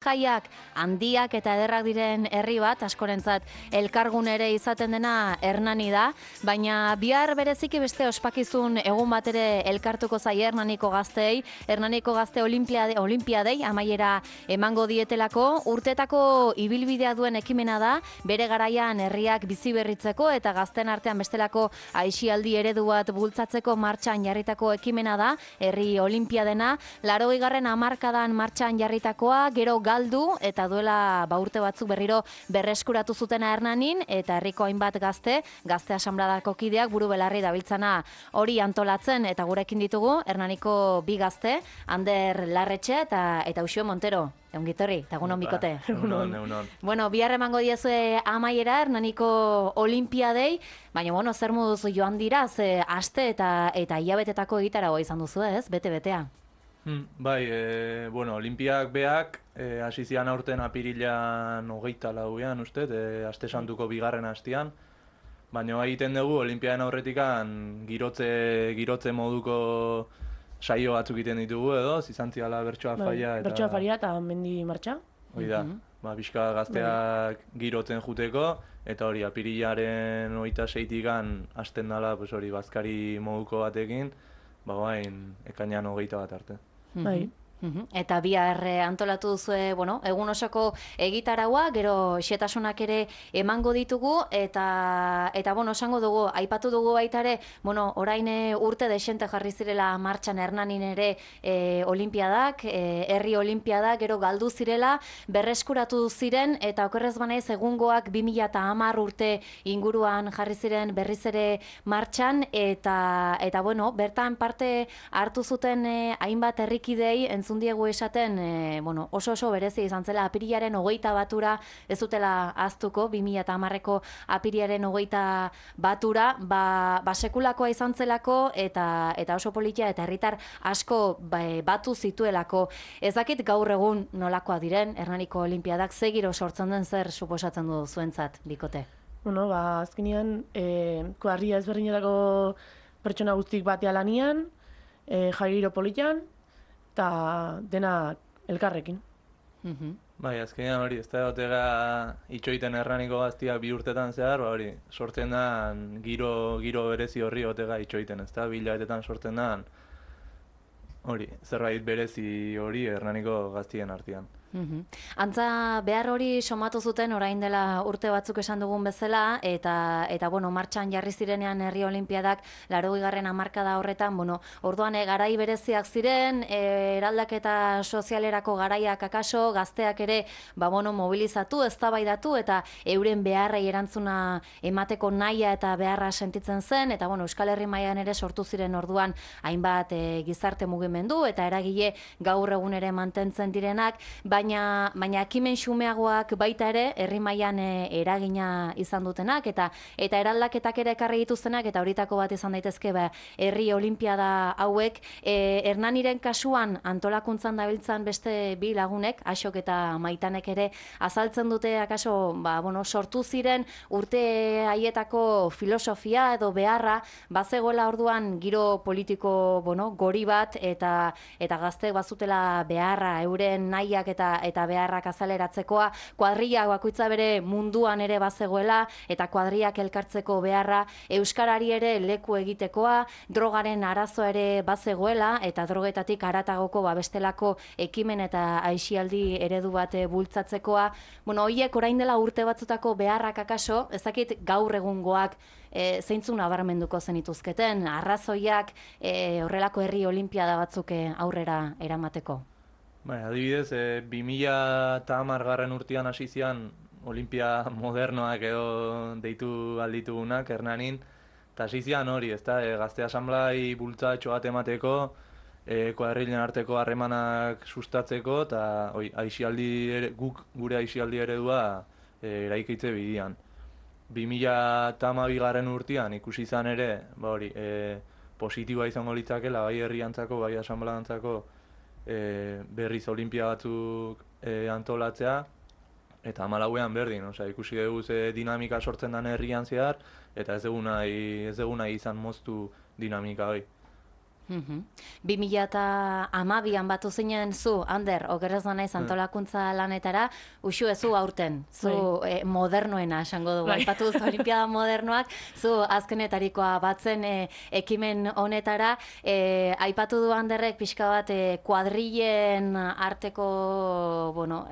Jaiak handiak eta ederrak diren herri bat, askorentzat elkargun ere izaten dena Hernani da, baina bihar bereziki beste ospakizun egun bat ere elkartuko zaie Hernaniko gazteei, Hernaniko gazte olimpiadei amaiera emango dietelako, urtetako ibilbidea duen ekimena da, bere garaian herriak bizi berritzeko eta gazten artean bestelako aisialdi eredu bat bultzatzeko martxan jarritako ekimena da, herri olimpiadena, 80. hamarkadan martxan jarritakoa, gero galdu eta duela urte batzuk berriro berreskuratu zutena Hernanin eta herriko hainbat gazte asanbladako kideak buru belarri dabiltzana hori antolatzen eta gurekin ditugu Hernaniko bi gazte, Ander Larretxe eta Uxue Montero. Eungitorri, eta egunon bikote. Egunon. Bueno, bihar emango diezue amaiera Hernaniko olimpiadei, baina zer moduz joan dira, aste eta hilabetetako egitaragoa izan duzu ez, bete-betea. Bai, olimpiak beak, hasi zian aurten apirilan 24 uste, aste santuko bigarren hastian, baina egiten dugu olimpiaden aurretikan girotze moduko saio batzuk egiten ditugu edo, zizantziala bertsoa faia eta... Bertsoa faria eta mendi martxa. Hoi da, pixka gazteak girotzen juteko, eta hori apirilaren 26-tikan hasten dela hori bazkari moduko batekin, ekainean 21 arte. Bai. Eta bihar antolatu duzue, egun osoko egitaraua, gero xetasunak ere emango ditugu, eta esango dugu, aipatu dugu baita ere, orain urte desente jarri zirela martxan Hernanin ere olimpiadak, herri olimpiadak, gero galdu zirela, berreskuratu ziren, eta okerrez banaiz egungoak 2010 urte inguruan jarri ziren berriz ere martxan, eta bertan parte hartu zuten hainbat herrikidei entzundiegu esaten, oso berezi izan zela apirilaren 21 ez dutela aztuko, 2010ko apirilaren 21 sekulakoa izan zelako eta oso politia eta herritar asko batu zituelako. Ez dakit gaur egun nolakoa diren Hernaniko olimpiadak, zegiro sortzen den zer suposatzen du zuentzat, bikote? Azkenean, kuadrilla ezberdinetako pertsona guztik batea lanian, jaigiro politian, eta dena elkarrekin. Bai, azkenean hori, ez da gotega itxoiten Hernaniko gaztiak 2 urtetan zehar, hori, sortzen da giro berezi horri gotega itxoiten, ez da, 2 hilabetetan sortzen da hori, zerbait berezi hori Hernaniko gaztien artean. Antza behar hori somatu zuten orain dela urte batzuk esan dugun bezala eta martxan jarri zirenean herri olimpiadak 80. hamarkada horretan, orduan garai bereziak ziren, eraldaketa sozialerako garaiak akaso, gazteak ere mobilizatu, eztabaidatu eta euren beharrei erantzuna emateko nahia eta beharra sentitzen zen, eta Euskal Herri mailan ere sortu ziren orduan hainbat gizarte mugimendu eta eragile gaur egun ere mantentzen direnak, baina ekimen xumeagoak baita ere herri mailan eragina izan dutenak eta eraldaketak ere ekarri dituztenak, eta horitako bat izan daitezke herri olimpiada hauek. Hernaniren kasuan antolakuntzan dabiltzan beste bi lagunek, Axok eta Maitanek ere azaltzen dute akaso sortu ziren urte haietako filosofia edo beharra bazegoela orduan giro politiko gori bat eta gazteek bazutela beharra euren nahiak eta beharrak azaleratzekoa, kuadrillak bakoitza bere munduan ere bazegoela eta kuadrillak elkartzeko beharra, euskarari ere leku egitekoa, drogaren arazoa ere bazegoela eta drogetatik haratagoko bestelako ekimen eta aisialdi eredu bat bultzatzekoa. Horiek orain dela urte batzutako beharrak akaso, ezakit gaur egungoak zeintzuk nabarmenduko zenituzketen, arrazoiak horrelako herri olimpiada batzuk aurrera eramateko. Adibidez, 2010 urtean hasi zian olimpia modernoak edo deitu alditugunak Hernanin, eta hasi zian hori, gazte asanblai bultzatxo bat emateko, kuadrillen arteko harremanak sustatzeko, eta guk gure aisialdi eredua eraikitze bidian. 2012 urtean ikusi izan ere, positiboa izango litzakela, bai herriantzako, bai asanbladantzako, berriz olimpia batzuk antolatzea, eta 14an berdin, ikusi dugu ze dinamika sortzen den herrian zehar, eta ez dugu nahi izan moztu dinamika hori. 2012an batu zinen zu, Ander, okerrez da naiz antolakuntza lanetara, uxu zu aurten, zu modernoena esango dugu, aipatu duzu Olimpiada modernoak, zu azkenetarikoa batzen ekimen honetara, aipatu du Anderrek pixka bat kuadrillen arteko, bueno,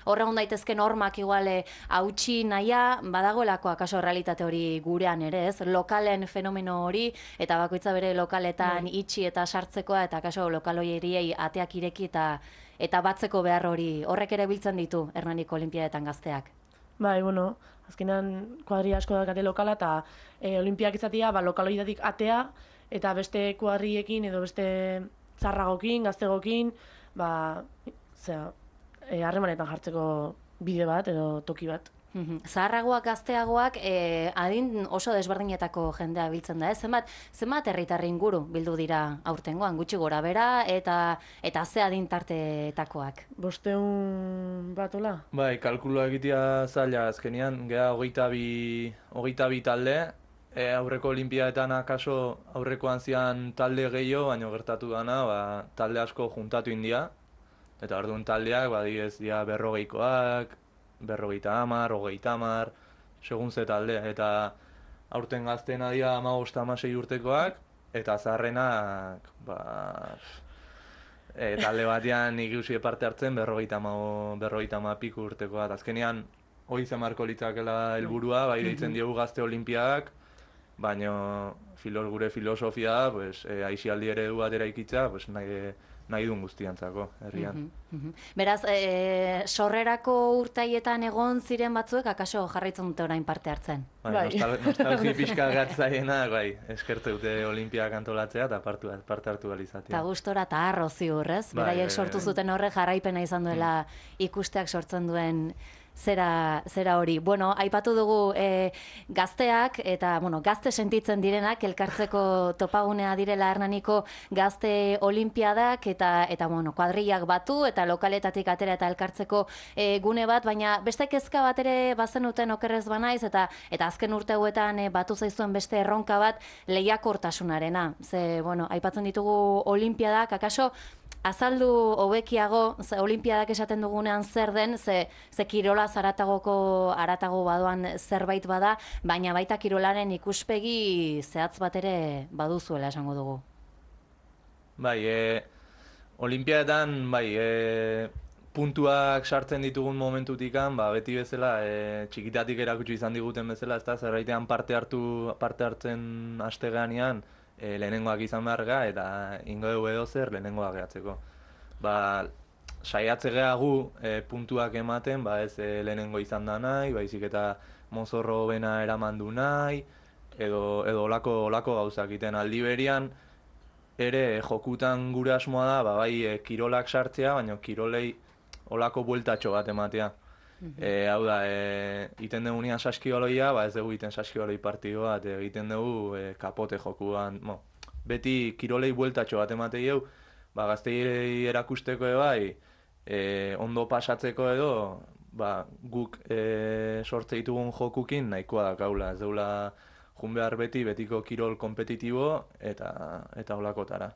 horregun daitezke normak igual hautsi naia, badagoelako akaso realitate hori gurean ere, ez? Lokalen fenomeno hori, eta bakoitza bere lokaletan itxi eta sartzekoa, eta kaso lokal horiei ateak ireki eta batzeko behar hori, horrek ere biltzen ditu Hernaniko Olimpiadetan gazteak. Bai, bueno, azkenan kuadri asko dakate lokala, eta olimpiak izatea, lokal horietatik atea, eta beste kuadriekin edo beste zarragokin, gaztegokin, harremanetan jartzeko bide bat edo toki bat. Zaharragoak, gazteagoak, adin oso desberdinetako jendea biltzen da, zenbat herritarri inguru bildu dira aurtengoan, gutxi gora bera, eta ze adin tartetakoak? 500 bat, hola? Bai, kalkulua egitea zaila azkenean, geha 22 talde, aurreko olimpiadetan akaso aurrekoan zian talde gehiago, baina gertatu dana, talde asko juntatu india, eta orduan taldeak, badidez, dira 40koak, 50, 30, segun ze taldea, eta aurten gazteena dira 15-16 urtekoak, eta zaharrenak, talde batean ikusi parte hartzen 50 piku urtekoak. Azkenean, hori zemarko litzakela helburua, bai deitzen diogu gazte olimpiadak, baina gure filosofia da, aisialdi eredu bat eraikitza, nahi duen guztiantzako, herrian. Beraz, sorrerako urtaietan egon ziren batzuek, akaso jarraitzen dute orain parte hartzen? Bai. Nostalgia pixka gatzaiena, eskertu dute olimpiak antolatzea eta parte hartu galizatea. Eta gustora eta harro ziur, ez? Beraiek sortu zuten horre jarraipena izan duela ikusteak sortzen duen zera hori. Bueno, aipatu dugu gazteak eta, gazte sentitzen direnak, elkartzeko topagunea direla Hernaniko gazte olimpiadak eta kuadrillak batu eta lokaletatik atera eta elkartzeko gune bat, baina beste kezka bat ere bazenuten okerrez banaiz eta azken urte hauetan batu zaizuen beste erronka bat lehiakortasunarena. Ze, aipatzen ditugu olimpiadak, akaso azaldu hobekiago, olimpiadak esaten dugunean zer den, ze kirola haratago badoan zerbait bada, baina baita kirolaren ikuspegi zehatz bat ere baduzuela esango dugu. Bai, olimpiadetan, puntuak sartzen ditugun momentutikan, beti bezala, txikitatik erakutsi izan diguten bezala, zerraitean parte hartzen hasteganean, lehenengoak izan beharga eta ingo dugu edo zer lehenengoak gehatzeko. Saiatze gehagu puntuak ematen, ez lehenengo izan da nahi, baizik eta mozorro bena eraman du nahi, edo olako gauzak iten aldi berian, ere jokutan gure asmoa da, bai kirolak sartzea, baina kirolei olako bueltatxo bat ematea. Hau da, iten dugunean saskibaloia, ez dugu iten saskibaloi partidu bat, egiten dugu kapote jokuan. Beti kirolei bueltatxo bat ematei egu, gazteirei erakusteko ondo pasatzeko edo, guk sortze ditugun jokukin nahikoa dakaula. Ez deula jun behar betiko kirol kompetitibo eta olakotara.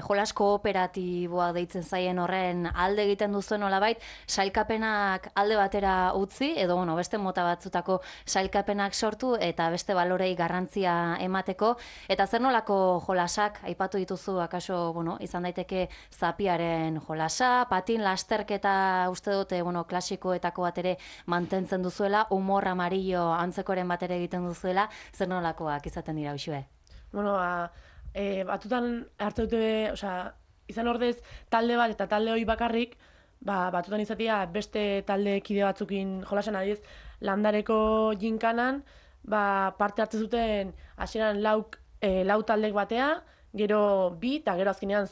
Jolas kooperatiboa deitzen zaien horren alde egiten duzuen nolabait, sailkapenak alde batera utzi, edo beste mota batzutako sailkapenak sortu eta beste balorei garrantzia emateko. Eta zer nolako jolasak aipatu dituzu, akaso izan daiteke zapiaren jolasa, patin lasterketa uste dute klasikoetako bat ere mantentzen duzuela, humor amarillo antzekoren bat ere egiten duzuela, zer nolakoak izaten dira usue? Batutan hartu dute, izan ordez talde bat eta talde hori bakarrik, batutan izatea beste talde kide batzukin jolasen adiz, Landareko jinkanan, parte hartzen zuten hasieran lau taldek batea, gero bi, eta gero azkenean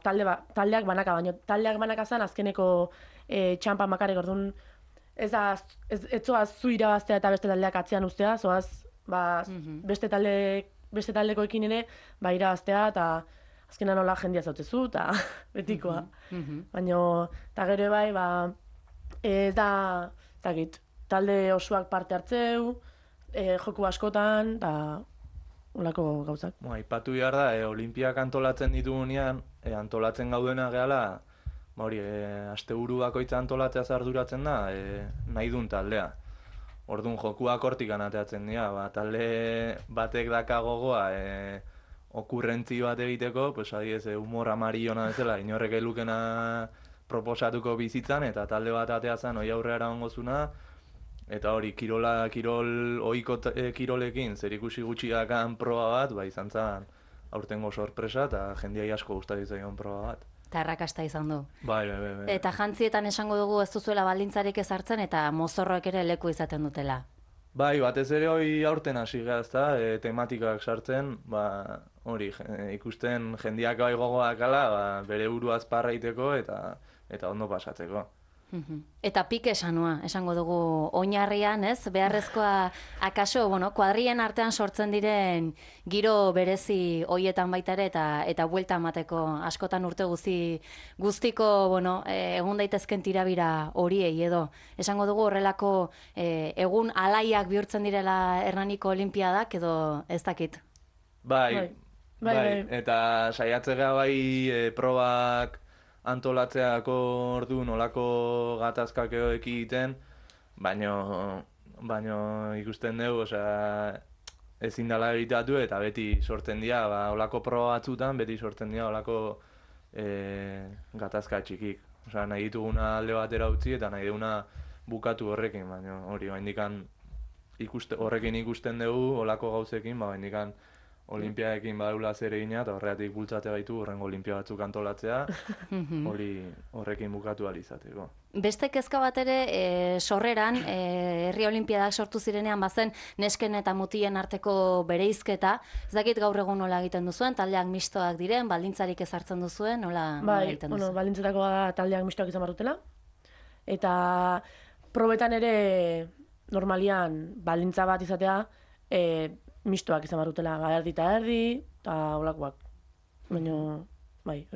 taldeak banaka, baina taldeak banaka zen azkeneko txampan bakarrik, orduan ez zoaz zu irabaztea eta beste taldeak atzean ustea, zoaz beste taldekoekin ere irabaztea eta azkenan nola jendia zautzezu eta betikoa. Baina, eta gero ez da, talde osoak parte hartzeu, joku askotan, eta olako gauzak. Aipatu behar da, olimpiak antolatzen ditugunean, antolatzen gaudena gehala, hori, asteburu bakoitza antolatzea arduratzen da, nahi duen taldea. Orduan jokuak hortik anateatzen dira, talde batek daka gogoa, okurrentzi bat egiteko, pues adiez, humor amariona bezala, inorrek elukena proposatuko bizitzan, eta talde bat ateatzen hoi aurrera ongozuna, eta hori, kirol ohiko kirolekin, zerikusi gutxi dakan proba bat, izan zen aurtengo sorpresa, eta jendeai asko gustatzen zaion proba bat. Eta arrakasta izan du. Bai. Eta jantzietan esango dugu ez duzuela baldintzarik ezartzen eta mozorroek ere leku izaten dutela. Bai, batez ere hori aurten hasi gehazta, tematikak sartzen, hori, ikusten jendiak bai gogoak ala, bere buruaz parraiteko eta ondo pasatzeko. Eta pike esango dugu oinarrian, ez? Beharrezkoa, akaso, kuadrien artean sortzen diren giro berezi hoietan baita ere eta buelta emateko askotan urte guztiko, egun daitezken tirabira horiei edo. Esango dugu horrelako egun alaiak bihurtzen direla Hernaniko Olimpiadak edo ez dakit? Bai. Eta saiatzea bai probak antolatzeako orduan olako gatazkak egiten, baino ikusten dugu, ezin dela egitatu eta beti sortzen dira, olako proba batzutan beti sortzen dira olako gatazka txikik. Nahi dituguna alde batera utzi eta nahi duguna bukatu horrekin, baina hori, horrekin ikusten dugu olako gauzekin, baina Olimpiadekin badula zer egina eta horregatik bultzate gaitu horrengo olimpia batzuk antolatzea, horrekin bukatu ahal izateko. Beste kezka bat ere, sorreran, herri olimpiadak sortu zirenean bazen nesken eta mutien arteko bereizketa. Ez dakit gaur egun nola egiten duzuen, taldeak mistoak diren, baldintzarik ezartzen duzuen, nola egiten duzuen? Baldintzetako da taldeak mistoak izan barrutela. Eta probetan ere normalian baldintza bat izatea, mistoak izan barrutela, erdi eta erdi, eta olakoak. Baina, bai.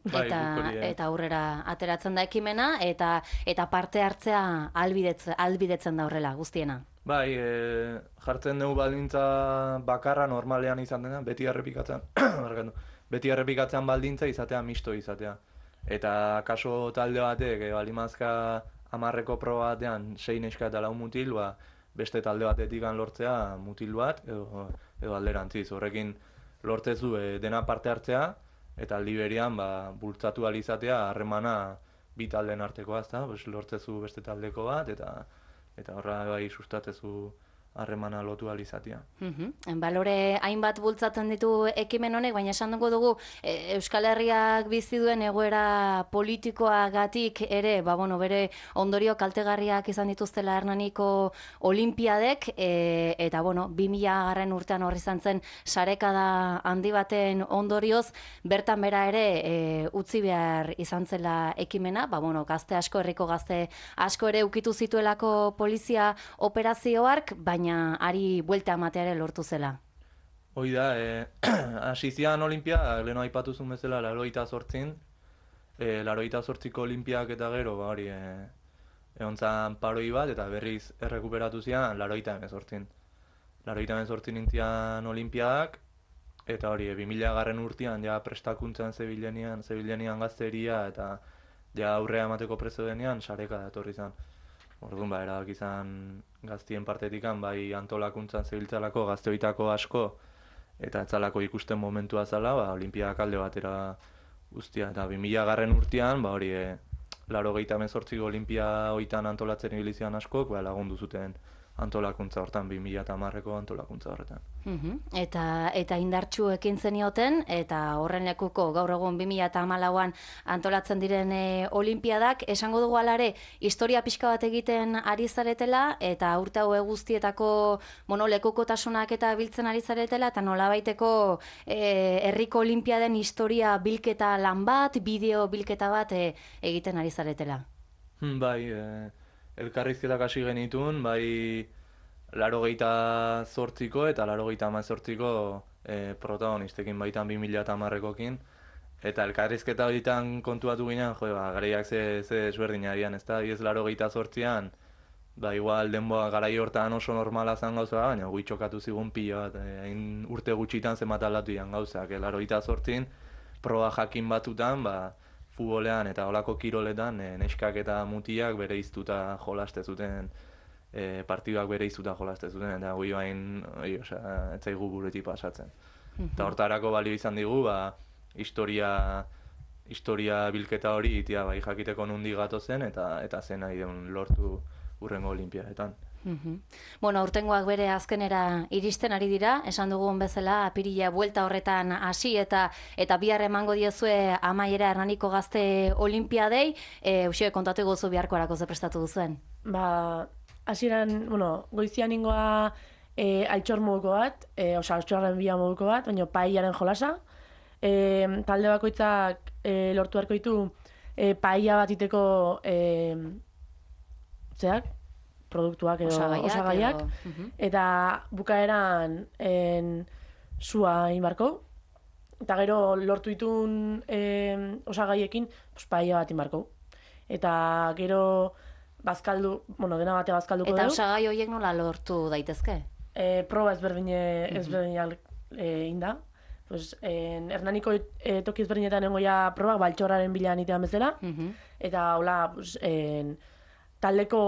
Eta aurrera ateratzen da ekimena, eta parte hartzea ahalbidetzen da horrela, guztiena. Bai, jartzen dugu baldintza bakarra normalean izan dena, beti errepikatzen baldintza izatea, misto izatea. Eta kaso talde batek, balimazka 10 proba batean, 6 neska eta 4 mutil, beste talde batetik lortzea mutil bat edo alderantziz. Horrekin lortzezu dena parte hartzea eta aldi berean bultzatu ahal izatea harremana bi taldeen artekoa, lortzezu beste taldeko bat eta horra bai sustatzezu harremana lotu ahal izatea. Balore hainbat bultzatzen ditu ekimen honek, baina esan dugu Euskal Herriak bizi duen egoera politikoagatik ere, bere ondorio kaltegarriak izan dituztela Hernaniko Olimpiadek, eta 2000 urtean horri izan zen sarekada handi baten ondorioz, bertan bera ere utzi behar izan zela ekimena, gazte asko, herriko gazte asko ere ukitu zituelako polizia operazioark, baina ari buelta emateare lortu zela. Hoi da, hasi zian Olimpiak, leheno aipatuzun bezala, 88, 88ko Olimpiak eta gero, egon zan paroi bat, eta berriz errekuperatu zian 88. 88 nintzian Olimpiadak, eta 2000 urtean ja prestakuntzan zebilenian gazteria, eta ja aurrea emateko prezo denean, sareka da etorri zan. Orduan, erabak izan gaztien partetikan, bai antolakuntzan zebiltzalako gazteoitako asko, eta etzalako ikusten momentua zala, Olimpiadak alde batera guztia. Eta 2000 urtean, 88ko Olimpia hoitan antolatzen ibilizian askok, lagundu zuten antolakuntza hortan, 2010ko antolakuntza horretan. Eta indartsu ekin zenioten, eta horren lekuko gaur egun 2014an antolatzen diren Olimpiadak, esango dugu alare, historia pixka bat egiten ari zaretela, eta urte hau guztietako lekukotasunak eta biltzen ari zaretela, eta nolabaiteko herriko Olimpiaden historia bilketa lan bat, bideo bilketa bat egiten ari zaretela. Bai, elkarrizketak hasi genitun, bai 88ko eta 88ko protagonistekin baitan 2010kokin. Eta elkarrizketa horietan kontuatu ginen, garaiak ze ezberdin arian, ez da? 88an ba, igual denboa garai hortan oso normala zen gauza, baina gui txokatu zigun pila bat, hain urte gutxitan zenbat aldatu dian gauzak, 88 proba jakin batutan, ba, futbolean eta olako kiroletan neskak eta mutiak bere iztuta jolaste zuten, partiduak bere iztuta jolaste zuten, eta gui bain, ez zaigu burutik pasatzen. Eta hortarako balio izan digu, ba, historia bilketa hori itia bai jakiteko nundi gatozen eta zen nahi deun lortu hurrengo olimpiadetan. Bueno, aurtengoak bere azkenera iristen ari dira, esan dugun bezala, apirila buelta horretan hasi eta bihar emango diezue amaiera Hernaniko Gazte Olimpiadei, Uxue, kontatu gozu biharko arako ze prestatu duzuen? Ba, hasieran, bueno, goizian ingoa altxor moduko bat, altxorren bila moduko bat, baina paellaren jolasa. Talde bakoitzak lortu beharko ditu paella bat iteko produktuak edo osagaiak, eta bukaeran sua inbarko, eta gero lortu ditun osagaiekin paella bat inbarko. Eta gero dena bate bazkalduko dugu. Eta osagai horiek nola lortu daitezke? Proba ezberdinak inda. Hernaniko toki ezberdinetan nengoia probak baltxorraren bilan itean bezala, eta hola, taldeko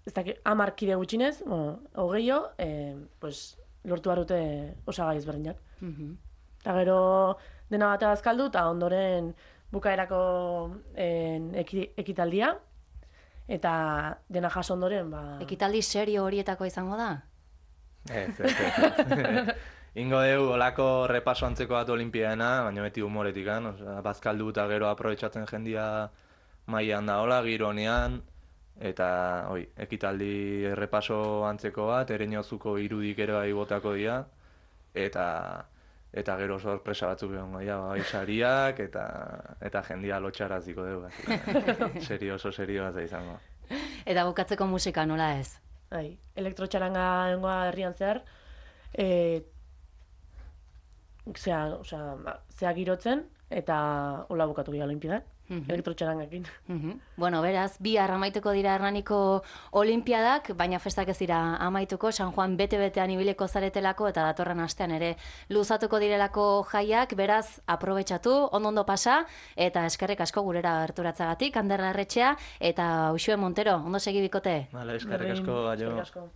10 kide gutxinez, 20, lortu barute osagai ezberdinak. Eta gero dena bate bazkaldu, eta ondoren bukaerako ekitaldia, eta dena jaso ondoren, Ekitaldi serio horietako izango da? Ez. Ingo dugu olako repaso antzeko bat olimpiadena, baina beti humoretikan, bazkaldu eta gero aprobetxatzen jendia mailan da hola, giro honean, eta ekitaldi repaso antzeko bat, Ereñozuko irudik ere bai botako dira, eta gero sorpresa batzuk egongo dira, sariak eta jendia lotxaraziko dugu. Oso serio bat izango. Eta bukatzeko musika nola ez? Elektrotxaranga egongoa herrian zehar, zea girotzen, eta hola bukatu gira olimpiadak, elektrotxarangakin. Bueno, beraz, bihar amaituko dira Hernaniko Olimpiadak, baina festak ez dira amaituko, San Juan bete-betean ibiliko zaretelako, eta datorren astean ere luzatuko direlako jaiak, beraz, aprobetxatu, ondo pasa, eta eskerrik asko gurera gerturatzagatik, Ander Larretxea, eta Uxue Montero, ondo segi bikote? Eskerrik asko, Eskerrik asko.